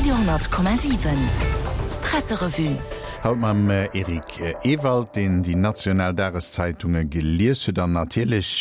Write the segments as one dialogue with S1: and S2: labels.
S1: Radio,7 Presserevue.
S2: Haut mam Eric Ewald, deen déi national Dageszeitunge gelies huet. An natierlech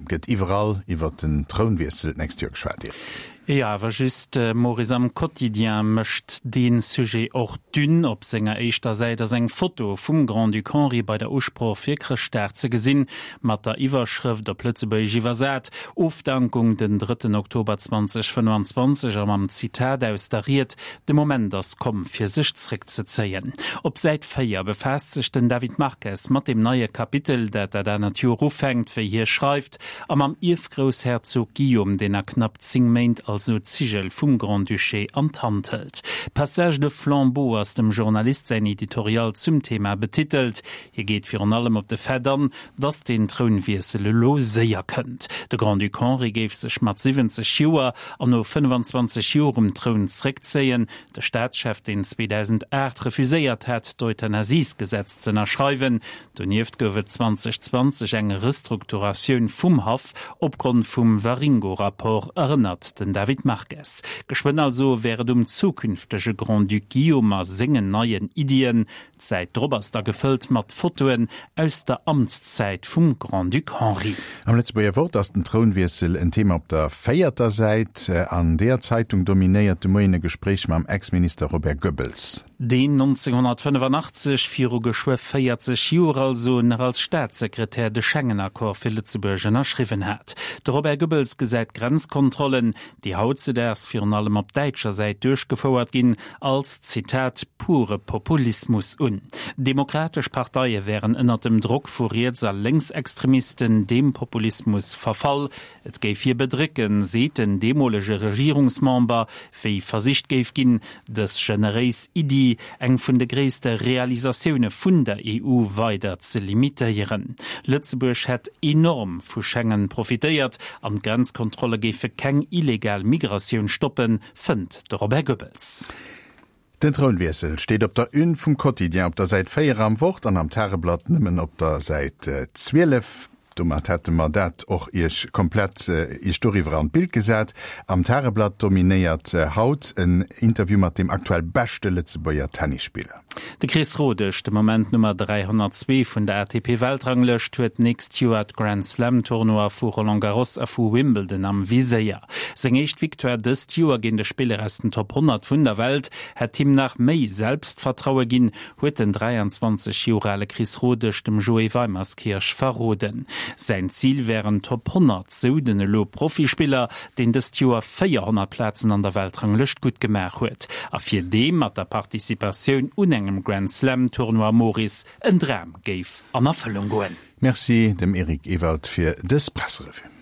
S2: gëtt iwwerall iwwer den Trounwiessel d'nächst Joer geschwat, Eric.
S3: Jo, awer just, Maurice, am Quotidien mécht dee Sujet och d'Une. Op senger éischter Säit ass eng Foto vum Grand-Duc Henri bei der Usproch fir Chrëschtdag ze gesinn, mat der Iwwerschrëft, op Lëtzebuergesch iwwersat, Ofdankung den drëtten Oktober 2025 a mam Zitat aus der Ried, De Moment ass komm, fir sech zréckzezéien. Op Säit 4 befaasst sech den David Marques mat dem neie Kapitel, dat dat anert Joer ufänkt, wéi hie schreift, A mam Ierfgroussherzog Guillaume, deen a knapp 10 Méint also d'Zigel vum Grand-Duché an d'Hand hëlt. Passage de flambeau ass dem Journalist säin Editorial zum Thema betitelt. Hie geet virun allem op de Fait an, datt den Trounwiessel elo séier kënnt. De Grand-Duc Henri géif sech mat 70 Joer an no 25 Joer um Troun zréckzéien. De Staatschef, deen 2008 refuséiert hat, d'Euthanasiesgesetz z'ënnerschreiwen, Donieft gouf et 2020 eng Restrukturatioun vum Haff opgrond vum Waringo-Rapport, erënnert den David Marques. Geschwënn also wär et um zukünftege Grand-Duc Guillaume a sengen neien Iddien. D'Säit drop ass da gefëllt mat Fotoen aus der Amtszäit vum Grand-Duc Henri.
S2: Am Lëtzebuerger Wort ass den Trounwiessel en Thema op der véierter Säit. An deeër Zeitung dominéiert de Moien e Gespréich mam Ex-Minister Robert Goebbels.
S3: Deen 1985, viru geschwë 40 Joer also, nach als Staatssekretär de Schengen-Accord fir Lëtzebuerg ënnerschriwwen hat. De Robert Goebbels gesäit d'Grenzkontrollen, déi hautzedaags virun allem op däitscher Säit duerchgefouert ginn, als, Zitat, pure Populismus un. Demokratesch Parteie wären ënnert dem Drock vu Riets a Lénksextremisten deem Populismus verfall. Et géif hie bedrécken, seet den deemolege Regierungsmember, wéi versicht géif ginn, dës generéis Iddi, eng vun de gréisste Realisatioune vun der EU, weider ze limitéieren. Lëtzebuerg hätt enorm vu Schengen profitéiert an d'Grenzkontrolle géife keng illegal Migratioun stoppen, fënnt de Robert Goebbels.
S2: Den Trounwiessel steet op der Une vum Quotidien op der Säit 4 am Wort an am Tageblatt nëmmen op der Säit 12. Domat hätte mer dat och Iech komplett Iech doriwwer an d'Bild gesat. Am Tageblatt dominéiert haut en Interview mat dem aktuell beschte Lëtzebuerger Tennisspiller.
S3: De Chris Rodesch, de Moment Nummer 302 vun der ATP-Weltranglëscht, huet d'nächst Joer d'Grand-Slam-Tournoie vu Roland Garros a vu Wimbledon am Viséier. Seng éischt Victoire dëst Joer géint e Spiller aus den Top 100 vun der Welt hätt him nach méi Selbstvertraue ginn, huet den 23 Joer ale Chris Rodesch dem Joé Weimerskirch verroden. Säin Zil wären d'Top 100, sou den elo Profispiller, deen dëst Joer 400 Plazen an der Weltranglëscht gutt gemaach huet a fir dee mat der Participatioun un engem Grand Slam Tournoi Maurice en Dram géif an Erfëllung goen.
S2: Merci dem Eric Ewald fir dës Presserevue.